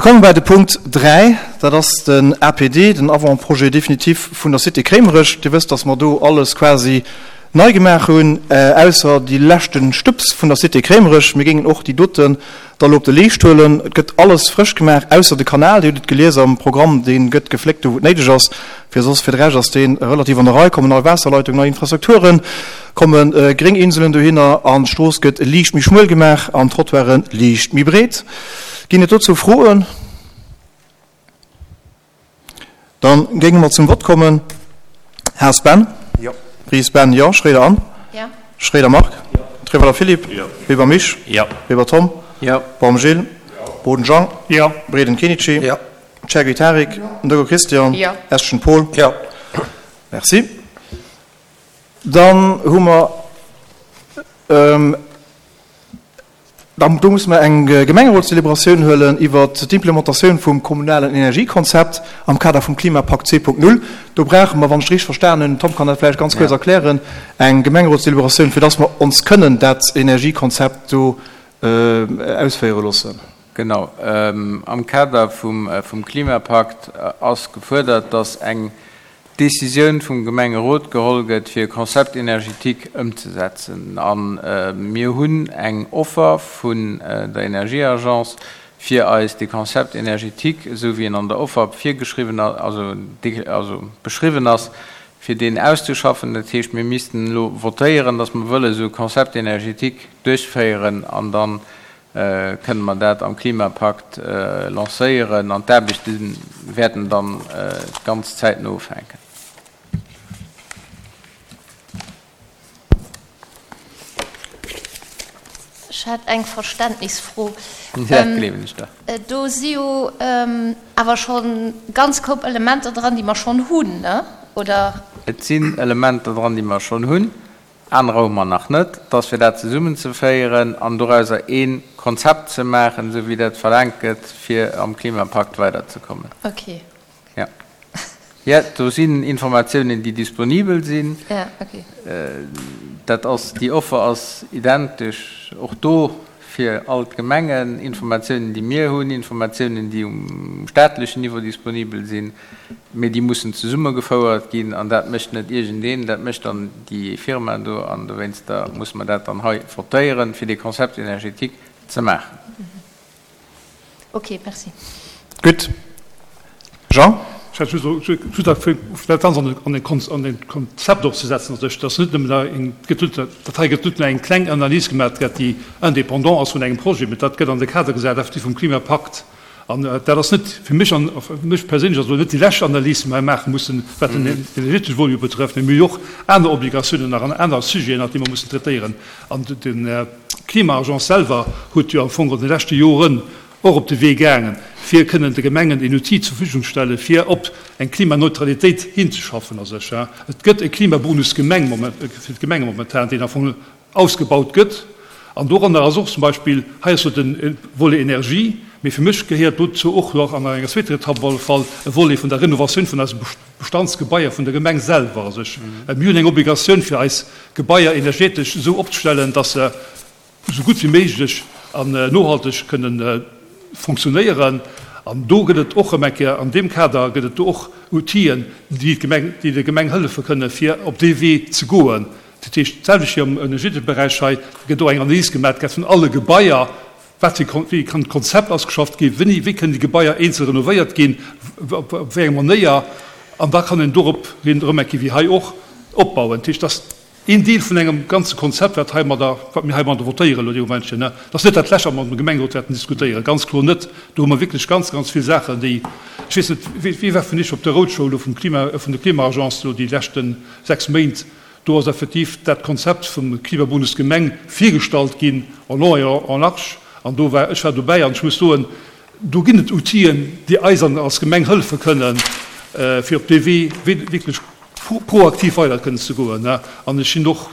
Mir komme bei de Punkt 3, dat ass den APD, den Avant-projet définitif vun der Cité Kréimerech. Dir wësst, dass mer do alles quasi nei gemaach hunn, ausser déi leschte Stëbs vun der Cité Kréimerech. Mir géingen och déi doten da lo op de Leescht huelen. Et gëtt alles frësch gemaach, ausser de Kanal, Dir hutt et gelies am Programm, dee gëtt gefléckt do wou et néideg ass. Fir soss, fir de Rescht ass dee relativ an der Rei. Kommen nei Waasserleitung, nei Infrastrukturen, komme gréng Inselen dohinner an d'Strooss gëtt liicht méi schmuel gemaach an d'Trottoiren liicht méi breet. Ginn et dozou Froen? Dann géinge mer zum Vott kommen. Haas Ben? Jo. Ries Ben, Jo. Schroeder Anne? Jo. Schroeder Marc? Jo. Trewelder Philippe? Jo. Weber Misch? Jo. Weber Tom? Jo. Baum Gilles? Jo. Boden Jean? Jo. Breden Kenichi? Jo. Chergui Tarik? Jo. Ndoggo Christian? Jo. Eschen Paul? Jo. Merci. Dann hu mer. Dann, do musse mer eng Gemengerotstélébratioun huelen iwwert d'Implementatioun vum kommunalen Energiekonzept am Kader vum Klimapakt 2.0. Do brauche mer, wann ech et richteg verstanen hunn, den Tom kann dat vläicht ganz kuerz erklären, eng Gemengerotstélébratioun, fir dass mer ons kënnen dat Energiekonzept do ausféiere loossen. Genau. Am Kader vum Klimapakt ass gefuerdert, dass eng Decisioun vum Gemengerot geholl gëtt, fir e Concept énergétique ëmzesetzen. A mir hunn eng Offer vun der Energieagence, fir eis dee Concept énergétique, esou wéi en an der Offer virgeschriwwen ass, also beschriwwen ass, fir deen auszuschaffen. Dat heescht, mir missten elo votéieren, datt mer wëlle esou e Concept énergétique duerchféieren an dann kënne mer dat am Klimapakt lancéieren an d'Aarbechte wäerten dann ganz zäitno ufänken. Ech hätt eng Verständnisfro. Dat gleewen ech der. Do si jo awer scho ganz Koup Elementer dran, déi mer schonn hunn, ne? Oder? Et sinn Elementer dran, déi mer schonn hunn. Anerer hu mer nach net. Et ass fir dat zesummenzeféieren an dorauser ee Konzept ze maachen, esou wéi dat verlaangt gëtt, fir am Klimapakt weiderzekommen. Okay. Ja. Ja, do sinn Informatiounen, déi disponibel sinn. Ja, okay. Dat ass, déi Offer ass identesch och do fir all d'Gemengen. Informatiounen, déi mir hunn, Informatiounen, déi um staatlechen Niveau disponibel sinn. Mee déi mussen zesummegefouert ginn an dat mécht net iergendeen, dat mécht dann déi Firma do an dowéinster musse mer dat dann hei votéieren, fir dee Concept énergétique ze maachen. Ok, merci. Gutt. Jean? Ech hätt just just nach fir dat Ganzt an en an en Konzept och ze setzen, also dass net nëmmen da eng, et gëtt net, dat hei gëtt net nëmmen eng kleng Analys gemaach gëtt, déi indépendant ass vun engem Projet, mä dat gëtt an de Kader gesat effektiv vum Klimapakt. An dat ass net fir mech, an fir mech perséinlech ass elo net déi lescht Analys, déi mer hei maache mussen, wat den energetesche Volet betrëfft, mä mir hu jo och aner Obligatiounen nach an aner Sujeten nach, déi mer mussen traitéieren. An d'Klima-Agence selwer huet jo am Fong an de leschte Joren och op de Wee gaangen, fir kënnen de Gemengen een Outil zur Verfügung stellen, fir op eng Klimaneutralitéit hinzeschaffen a sech. Et gëtt e Klimabonus Gemeng fir d'Gemenge momentan, deen am Fong ausgebaut gëtt. An doranner ass och zum Beispill, hei ass jo de Volet Energie, mee fir mech gehéiert dozou och nach an enger zweeter Etapp op alle Fall e Volet vun der Renovatioun vun eise Bestandsgebaier vun der Gemeng selwer. Also ech, mir hunn eng Obligatioun fir eis Gebaier energetesch esou opzestellen, dass se esou gutt wéi méiglech an nohalteg kënnen fonctionnéieren. An do gëtt et och erëm eng Kéier, an deem Kader gëtt et do och Outiller, déi d'Gemeng, déi der Gemeng hëllefe kënnen, fir op dee Wee ze goen. Dat heescht, d'selwecht wéi am energetesche Beräich hei, gëtt och eng Analys gemaach gett vun alle Gebaier, wat fir, wéi kann d'Konzept ausgeschafft ginn, wéini, wéi kënnen déi Gebaier eenzel renovéiert ginn, op wéi eng Manéier, an da kann een dorop hin erëm eng Kéier, wéi hei och, opbauen. Dat heescht, dat ass een Deel vun engem ganze Konzept, wat heimadder, wat mir heimadder votéieren elo dee Momentchen. Dat ass net dat lescht, wat mer am Gemengerot wäerten diskutéieren, ganz kloer net. Do hu mer wierklech ganz, ganz vill Saachen, déi, ech weess net, wie war vun Iech op der Roadshow elo vum Klima, vun der Klima-Agence elo déi leschten 6 Méint? Do ass effektiv dat Konzept vum Klimabonus Gemeng virgestallt ginn, en long et en large. An do war, ech war dobäi an ech muss soen, do ginn et Outiller, déi eis als Gemeng hëllefe kënnen, fir op dee Wee wierklech proaktiv weider kënnen ze goen. An ech sinn och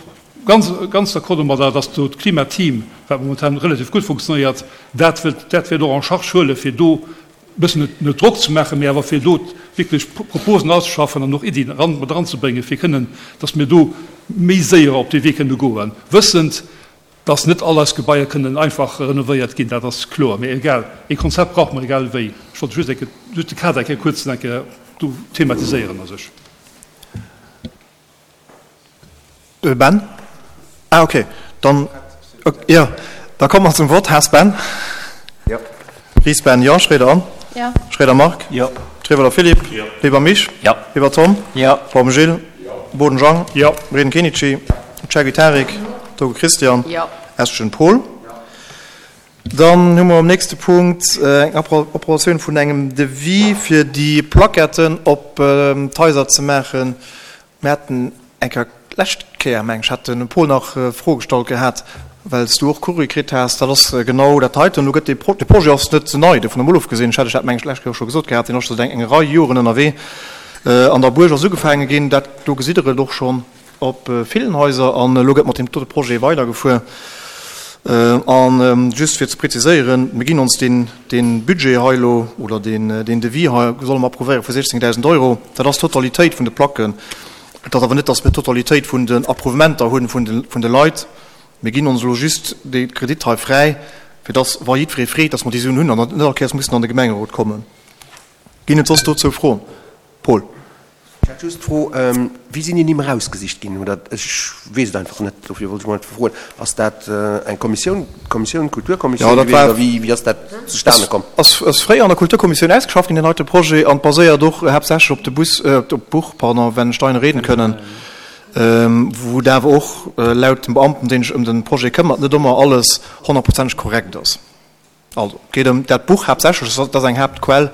ganz, ganz d'accord domadder, dass do d'Klimateam, wat momentan relativ gutt funktionéiert, dat wëllt, dat wäert och en charge huelen, fir do e bëssen net Drock ze maachen, mee awer fir do wierklech Proposen auszeschaffen an och Iddien eran, mat eranzebréngen, fir kënnen, dass mir do méi séier op dee Wee kënne goen, wëssend, Dass net all eis Gebaier kënnen einfach renovéiert ginn, dat ass kloer. Mee egal, ee Konzept brauche mer egal wéi. Ech wollt just eng Kéier, just de Kader eng Kéier kuerz eng Kéier do thematiséieren a sech. Ben? Ah, okay. Dann, jo, da komme mer zum Vott. Haas Ben? Jo. Ries Ben, jo. Schroeder Anne? Jo. Schroeder Marc? Jo. Trewelder Philippe? Jo. Weber Misch? Jo. Weber Tom? Jo. Baum Gilles? Jo. Boden Jean? Jo. Reden Kenichi? Cherki Tarik? Jo. Togo Christian? Jo. Estgen Paul? Dann hu mer um nächste Punkt eng Approbatioun vun engem Devis fir déi Plaquetten op d'Haiser ze maachen. Mir haten eng Kéier, d'lescht Kéier meng ech, hat de Paul nach Froe gestallt gehat, well s du och Courrier kritt has. Dat ass genau dat heiten. Elo gëtt dee Pro, de Projet ass net nei, dovun emol ofgesinn, ech hat ech dat meng ech d'lescht Kéier och scho gesot gehat, deen ass scho säit eng Rei Joren ënnerwee. An der Buerg ass ugefaange ginn, dat do gesitt Der et och schonn op villen Haiser, an elo gëtt mat deem dote Projet weidergefuer. An just fir ze preziséieren, mir ginn ons deen, dee Budget hei elo, oder deen, deen Devis hei solle mer approuvéiere vu 16.000 Euro. Dat ass d'Totalitéit vun de Placken. Et ass awer net, datt mir d'Totalitéit vun den Approuvementer hunn vun de, vun de Leit. Mir ginn ons elo just dee Kredit hei fräi, fir datt, wa jiddweree freet, datt mer déi Suen hunn an net all Kéiers mussen an de Gemengerot kommen. Ginn et soss dozou Froen? Paul. Ech hätt just d'Fro, Wéi sinn déi Nimm erausgesicht ginn? Oder ech weess et einfach net, dofir wollt ech mol froen. Ass dat eng Kommissioun, d'Kommissioun, d'Kulturkommissioun gewiescht, oder wéi, wéi ass dat zustane komm? Ass fréier an der Kulturkommissioun ausgeschafft ginn, deen heite Projet, an baséiert och haaptsächlech op de Bus, op d'Buch, pardon, Wenn Steine reden können, wou et awer och laut dem Beamten, deen sech ëm de Projet këmmert, net ëmmer alles honnertprozenteg korrekt ass. Also, et geet ëm dat Buch haaptsächlech, dat ass eng Haaptquell,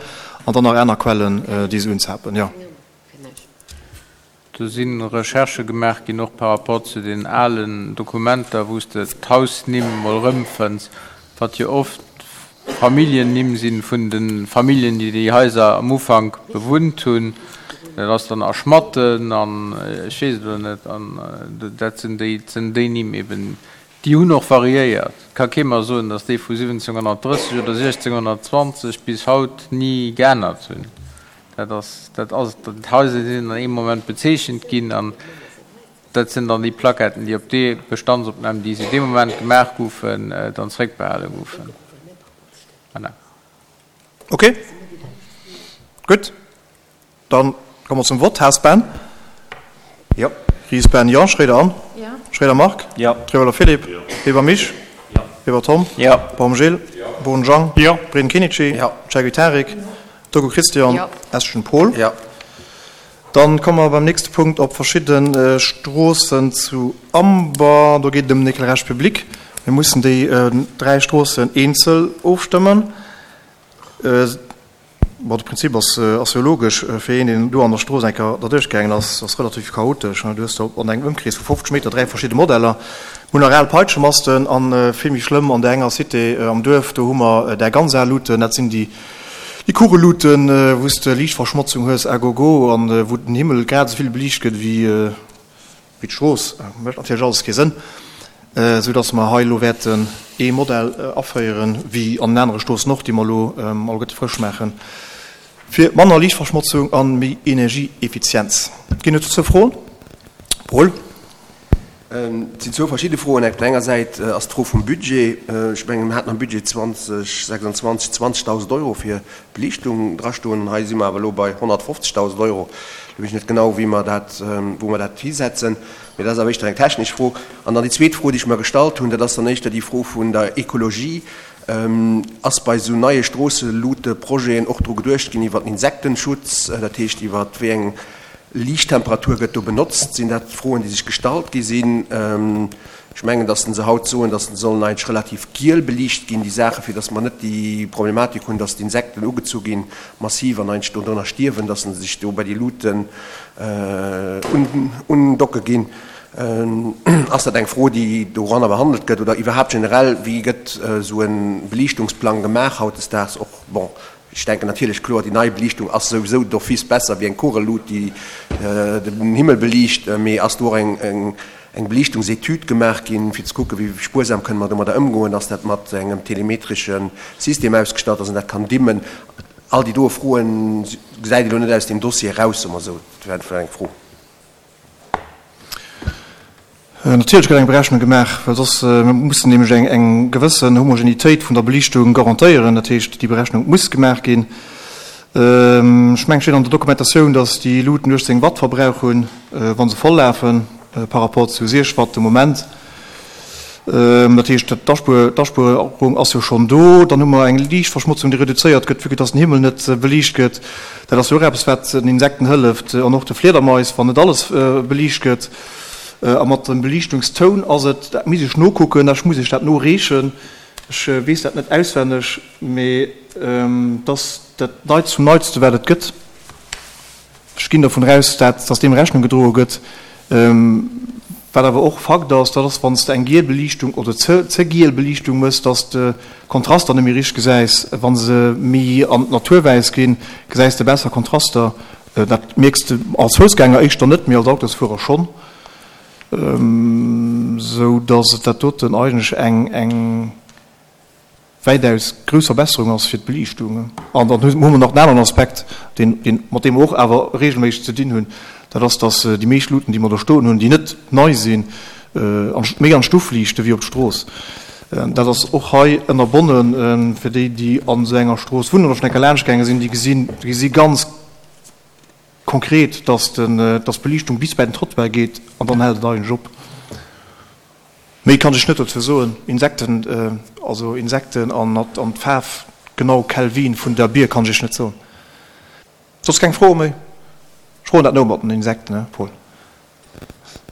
an dann nach aner Quellen, déi se unzapen, jo. Do si Recherchë gemaach ginn, och par rapport zu den alen Dokumenter, wou s de d'Hausnimm mol erëmfënns, wat jo oft Familljennimm si vun de Familljen, déi déi Haiser am Ufank bewunnt hunn. Dat ass dann a Schmatten an ech weess et elo net. An dat sinn déi, sinn déi Nimm eben, Déi hunn och variéiert. Et ka kee mer soen, datt déi vu 1730 oder 1620 bis haut ni geännert hunn. Dat ass, dat ass, d'Haiser sinn an ee Moment bezeechent ginn an dat sinn dann déi Plaquetten, déi op déi Bestandsopnamen, déi se dee Moment gemaach goufen, dann zréckbehale goufen. Voilà. Ok, gutt. Dann komme mer zum Vott. Haas Ben? Jo. Ries Ben, Jo. Schroeder Anne? Jo. Schroeder Marc? Jo. Trewelder Philippe? Jo. Weber Misch? Jo. Weber Tom? Jo. Baum Gilles? Jo. Boden Jean? Jo. Breden Kenichi? Jo. Chergui Tarik? Jo. Togo Christian? Jo. Eschen Paul? Jo. Dann komme mer beim nächste Punkt op verschidde Stroossen zu Amber. Do geet et ëm den Éclairage public. Mir mussen déi dräi Stroossen eenzel ofstëmmen. Bon, de Prinzip ass ass jo logesch. Fir een, deen do an der Strooss eng Kéier derduerch gaangen ass, ass relativ chaotesch. Du hues do an engem Ëmkrees vu 50 Meter 3 verschidde Modeller. Mir hunn nach al Peitschemasten an, vill méi schlëmm, an där enger Cité am Duerf, do hu mer där ganz al Luuten. Dat sinn déi déi Kugelluuten, wou s de Liichtverschmotzung hues à gogo an wou den Himmel grad esou vill beliicht gëtt wéi Wéi d'Strooss mécht natierlech alles kee Sënn, esou datt mer hei elo wäerten ee Modell aféieren, wéi an den anere Stroossen och, déi mer elo alleguerte frësch maachen, fir manner Liichtverschmotzung a méi Energieeffizienz. Ginn et dozou Froen? Paul. Et sinn zwou verschidde Froen. Op der enger Säit ass d'Fro vum Budget. Ech mengen, mir haten am Budget 2026 20.000 Euro fir Beliichtung drastoen. An hei si mer awer elo bei 150.000 Euro. Do weess ech net genau, wéi mer dat, wou mer dat hisetzen. Mee dat ass awer éischter eng technesch Fro. An dann déi zweet Fro, déi ech mer gestallt hunn, dat ass dann éischter déi Fro vun der Ekologie. Ass bei esou neie Stroosseluuteprojeten och dru geduecht ginn iwwer den Insektenschutz, dat heescht iwwer wéi eng Liichttemperatur gëtt do benotzt? Sinn dat Froen, déi sech gestallt gi sinn? Ech mengen, datt se haut soen, datt se sollen eigentlech relativ giel beliicht ginn, déi Saachen, fir datt mer net déi Problematik hunn, datt d'Insekten ugezu ginn, massiv, an eigentlech do drënner stierwen, datt se sech do bei déi Luuten undocke ginn. Ass dat eng Fro, déi doranner behandelt gëtt oder iwwerhaapt generell, wéi gëtt esou e Beliichtungsplang gemaach hautdesdaags och? Bon, Ech denken natierlech, kloer, déi nei Beliichtung ass souwisou d'office besser wéi eng Kugellut, déi den Himmel beliicht. Mee ass do och eng Beliichtungsetüd gemaach ginn, fir ze kucken, wéi spuersam kënne mer domadder ëmgoen? Ass dat mat engem telemetresche System ausgestatt, dass een dat kann dimmen? All déi doe Froen gesäit ee lo net aus deem Dossier eraus, soe mer esou. Dat wär einfach eng Fro. Natierlech gëtt eng Berechnung gemaach, well soss, mir mussen nämlech eng eng gewëssen Homogenitéit vun der Beliichtung garantéieren. Dat heescht, déi Berechnung muss gemaach ginn. Ech mengen, et steet an der Dokumentatioun, datt déi Luuten 18 Watt Verbrauch hunn, wa se voll lafen, par rapport zu 6 Watt de Moment. Dat heescht, d'Aspuerung ass jo schonn do. Dann hu mer eng Liichtverschmotzung, déi reduzéiert gëtt, vue que dass den Himmel net beliicht gëtt. Dat ass jo och eppes, wat den Insekten hëlleft an och de Fliedermais, wann net alles beliicht gëtt. A mat dem Beliichtungstoun ass et, dat misst ech nokucken, ech muss iech dat noreechen, ech weess dat net auswenneg, mee et ass dat Neitst vum Neitste wat et gëtt. Ech ginn dervun aus, dat, dass deem Rechnung gedroe gëtt. Wat awer och Fakt ass, dat ass, wann s de eng giel Beliichtung oder ze ze giel Beliichtung mëss, dass de Kontraster net méi richteg gesäis. Wa se méi an d'Natur wäiss ginn, gesäis de besser Kontraster. Dat mierks de als Foussgänger éischter net, mee als Autosfuerer schonn. Sou dass et dat doten eigentlech eng eng wäitaus grouss Verbesserung ass fir d'Beliichtung. An dann hu mer nach en aneren Aspekt, deen, deen, mat deem mer och awer regelméisseg ze dinn hunn, dat ass, dass déi meescht Luuten, déi mer do stoen hunn, déi net nei sinn, an, méi an d'Stuff liichte wéi op d'Strooss. Dat ass och hei ënnerbonnen. Fir déi, déi an esou enger Strooss wunnen oder schonn eng Kéier laanschtgaange sinn, déi gesinn, déi gesi ganz konkret, dass den, dass d'Beliichtung bis bäi den Trottoir geet an dann hält et eigentlech op. Méi kann ech net dozou soen. Insekten, also Insekten an an d'Faarf genau Kelvin vun der Bier kann ech iech net soen. Soss keng Froe méi? Ech froen dat no mat den Insekten, he Paul?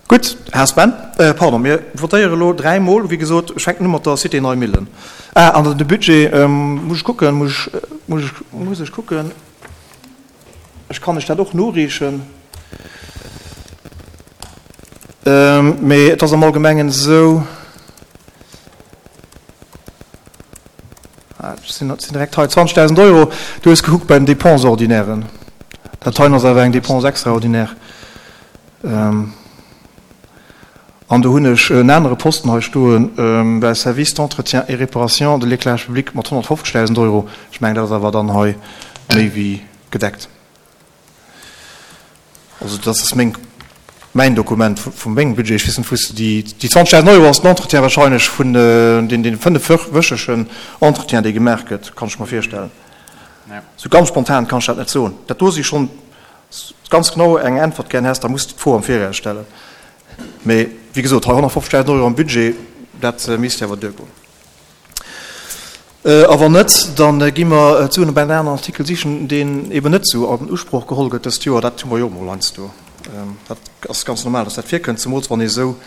Gutt, Här Sven, pardon, mir votéiere elo dräimol, wéi gesot, ech fänken u mat der Cité Neimillen. Ah, an de Budget muss ech kucken, muss ech, muss ech, muss ech kucken. Ech kann lech dat och noreechen. Mee et ass am Allgemengen esou, ech sinn direkt hei, 20.000 Euro, du hues gekuckt bei den Dépenses ordinairen. Dat heien ass awer eng Dépense extraordinaire. An do hunn ech en anere Posten hei stoen, bei Service d'entretien et réparation de l'éclairage public mat 150.000 Euro. Ech mengen, dat ass awer dann hei méi wéi gedeckt. Also dat ass meng, mäin Dokument vu mengem Budget. Ech weess net, wou s de déi, déi 20.000 Euro ass den Entretien wahrscheinlech vun deen, deen fënnefwöchegen Entretien, dee gemaach gëtt, kann ech mer virstellen. Esou ganz spontan kann ech dat net soen. Dat do si schonn ganz genau eng Äntwert gären häss, da muss de d'Fro am Viraus stellen. Mee wéi gesot, hei 150.000 Euro am Budget, dat misst jo awer duergoen. A wann net, da gi mer d'Suen op en aneren Artikel sichen, deen eben net esou an Usproch geholl gëtt dëst Joer. Dat hu mer jo och emol heiansdo. Dat ass ganz normal, dass dat virkënnt, zemools wann ee esou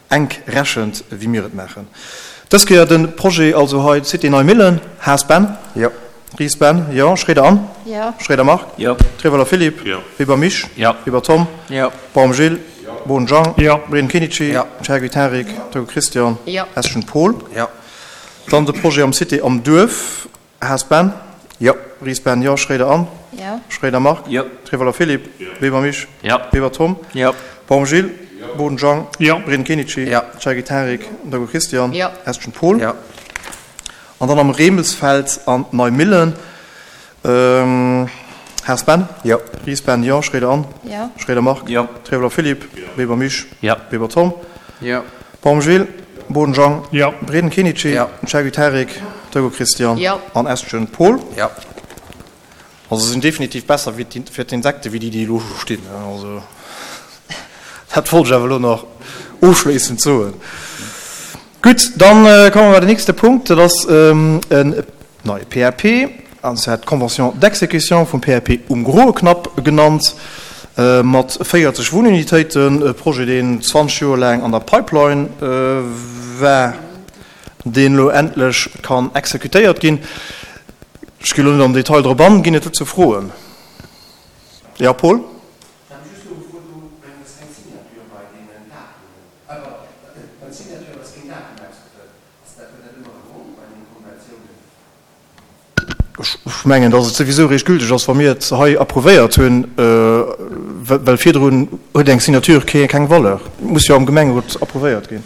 enk rechent, wéi mir et maachen. Dës Kéier de Projet also hei, Cité Neimillen, Haas Ben. Jo. Ries Ben, Jo. Schroeder Anne. Jo. Schroeder Marc. Jo. Trewöller Philippe. Jo. Weber Misch. Jo. Weber Tom. Jo. Baum Gilles. Jo. Boden Jean. Jo. Breden Kenichi. Jo. Chergui Tarik. Jo. Togo Christian. Jo. Eschen Paul. Jo. Dann de Projet am Cité am Duerf. Haas Ben. Jo. Ries Ben, Jo. Schroeder Anne. Jo. Schroeder Marc. Jo. Trewöller Philippe. Jo. Weber Misch. Jo. Weber Tom. Jo. Baum Gilles. Jo. Boden Jean. Jo. Breden Kenichi. Jo. Chergui Tarik. Togo Christian. Jo. Eschen Paul. Jo. An dann am Remelsfeld an Neimillen, Haas Ben? Jo. Ries Ben, jo. Schroeder Anne? Jo. Schroeder Marc? Jo. Trewler Philippe? Jo. Weber Misch? Jo. Weber Tom? Jo. Baum Gilles? Boden Jean? Jo. Breden Kenichi? Jo. Chergui Tarik? Togo Christian? Jo. An Estgen Paul? Jo. Also se sinn definitiv besser wéi fir d'Insekte wéi déi, déi elo scho stinn. Also dat wollt ech awer elo nach ofschléissend soen. Gutt, dann komme mer bei den nächste Punkt. Dat ass en neie PAP, an zwar d'Convention d'exécution vum PAP um Groe Knapp genannt, mat 40 Wunnunitéiten, e Projet, deen 20 Joer laang an der Pipeline war, deen elo endlech kann exekutéiert ginn. Ech ginn elo net am Detail drop an. Ginn et dozou Froen? Jo, Paul? Ech hat mech just elo gefrot, do mengen ech ass keng Signature bei deenen Datumen. Pardon, beim Signature ass keen Datum ausgefëllt. Ass dat, huet dat ëmmer e Grond bei deenen Konventiounen? Ech mengen, datt et souwisou eréischt gülteg ass, wa mir et hei approuvéiert hunn, well virdrun huet eng Signature keng Valeur. Et muss jo am Gemengerot approuvéiert ginn.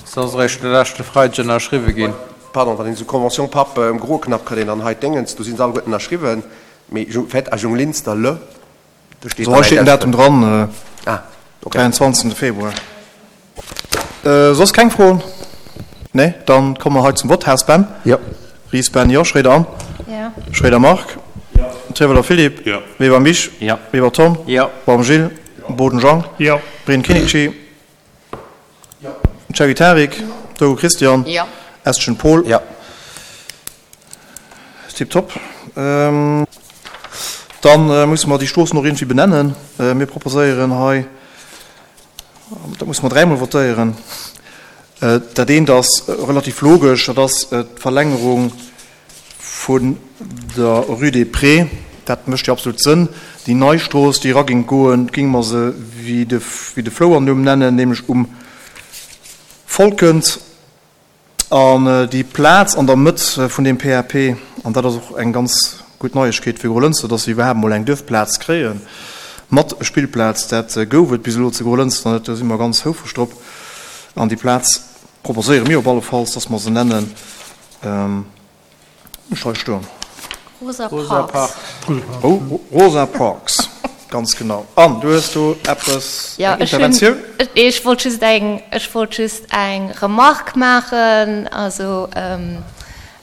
Se ass eréischt de leschte Freideg ënnerschriwwe ginn. Pardon, wann een esou Convention PAP um Groknapp kritt een dann hei d'Déngens, do si se alleguerten ënnerschriwwen, mee fait à Junglinster le, do steet Also hei steet den Datum dran. Ah. 23. Februar. Soss keng Froen? Nee? Dann komme mer hei zum Vott. Haas Ben? Jo. Ries Ben, Jo. Schroeder Anne? Jo. Schroeder Marc? Jo. Trewelder Philippe? Jo. Weber Misch? Jo. Weber Tom? Jo. Baum Gilles? Jo. Boden Jean? Jo. Breen Kinnici? Jo. Cherry Tarik? Jo. Dogo Christian? Jo. Estgen Paul? Jo. Tiptop. Dann musse mer déi Stroossen och iergendwéi benennen. Mir proposéieren hei, dat musse mer dräimol votéieren. Dat eent ass relativ logesch, dat ass d'Verlängerung vun der Rue des Prés. Dat mécht jo absolut Sënn. Déi nei Strooss, déi eraging goen, géinge mer se wéi de Flouernumm nennen, nämlech Um Volkent. An déi Plaz an der Mëtt vun deem PAP, an dat ass och eng ganz gutt Neiegkeet fir Grolënster, dass se iwwerhaapt emol eng Duerfplaz kréie mat Spillplaz, dat gouf et bis elo zu Grolënster net, do si mer ganz houfreg drop. An déi Plaz proposéiere mir op alle Falls, dass mer se nennen. Ech hei stoen. Rosa Parks. Rosa Parks, ganz genau. An du hues do eppes, eng Interventioun? Nee, ech wollt just eng, ech wollt just eng Remarque maachen. Also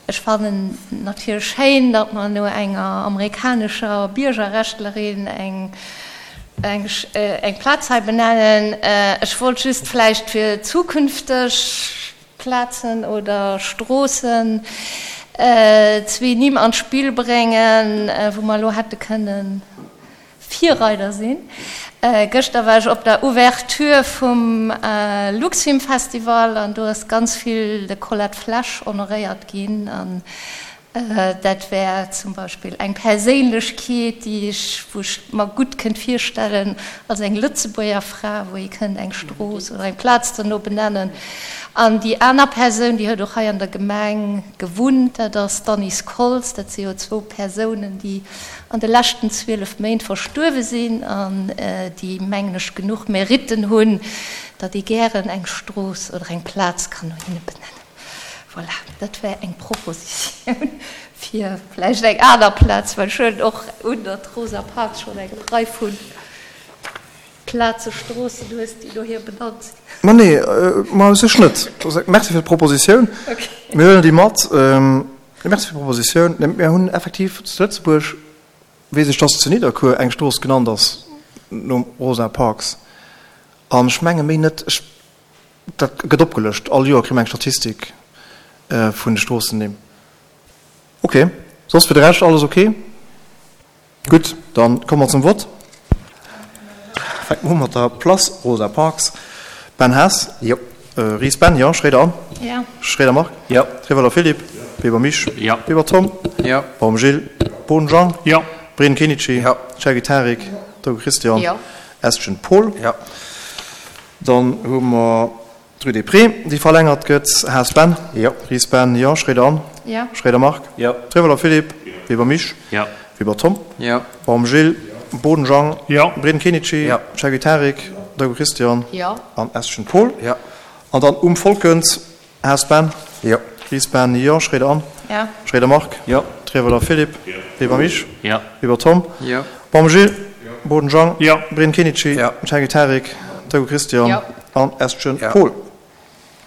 ech fannen natierlech schéin, datt mer no enger amerikanescher Biergerrechtlerin eng, eng, eng Plaz hei benennen. Ech wollt just vläicht fir zukünfteg Plazen oder Stroossen zwee Nimm an d'Spill bréngen, wou mer elo hätte kënne Virreider sinn. Gëschter war ech op der Ouverture vum Luxfilmfestival an do ass ganz vill de Colette Flesch honoréiert ginn. An Dat wär zum Beispill eng Perséinlechkeet, déi ech, wou ech mer gutt kënnt virstellen, als eng Lëtzebuerger Fra, wou ee kënnt eng Strooss oder eng Plaz dono benennen. An déi aner Persoun, déi huet och hei an der Gemeng gewunnt, dat ass d'Annice Koltz. Dat si jo zwou Persounen, déi an de leschten 12 Méint verstuerwe sinn an déi, mengen ech, genuch Meritten hunn, datt ee gären eng Strooss oder eng Plaz kann no hinne benennen. Voilà, dat wär eng Propositioun fir vläicht eng aner Plaz, well ech huelen och un, datt d'Rosa Parks schonn eng Rei vu Plaze, Stroossen hues, déi no hir benannt sinn. Ma nee, ma u sech net. Merci fir d'Propositioun. Mir huelen déi mat. Merci fir d'Propositioun. Mir hunn effektiv zu Lëtzebuerg, weess ech, datt zu Nidderkuer eng Strooss genannt ass nom Rosa Parks. An ech menge méi net. Ech Dat gëtt opgelëscht. All Joer kréie mer eng Statistik vun de Stroossennimm. Ok. Soss fir de Rescht alles ok? Gutt, da komme mer zum Vott. Fänke mer u mat der Place Rosa Parks. Ben Haas? Jo. Ries Ben? Jo. Schroeder Anne? Jo. Schroeder Marc? Jo. Trewelder Philippe? Jo. Weber Misch? Jo. Weber Tom? Jo. Baum Gilles? Boden Jean? Jo. Breen Kenichi? Jo. Cherki Tarik? Jo. Dogo Christian? Jo. Estgen Paul? Jo. Dann hu mer d'Rue des Prés, déi verlängert gëtt. Haas Ben? Jo. Ries Ben? Jo. Schroeder Anne? Jo. Schroeder Marc? Jo. Trewelder Philippe? Jo. Weber Misch? Jo. Weber Tom? Jo. Baum Gilles? Boden Jean? Jo. Breden Kenichi? Jo. Cherki Tarik? Dogo Christian? Jo. An Estgen Paul? Jo. An dann um Volkens. Haas Ben? Jo. Ries Ben? Jo. Schroeder Anne? Jo. Schroeder Marc? Jo. Trewelder Philippe? Jo. Weber Misch? Jo. Weber Tom? Jo. Baum Gilles? Jo. Boden Jean? Jo. Breen Kenichi? Jo. Cherki Tarik? Dogo Christian? Jo. An Estgen Jo. Paul?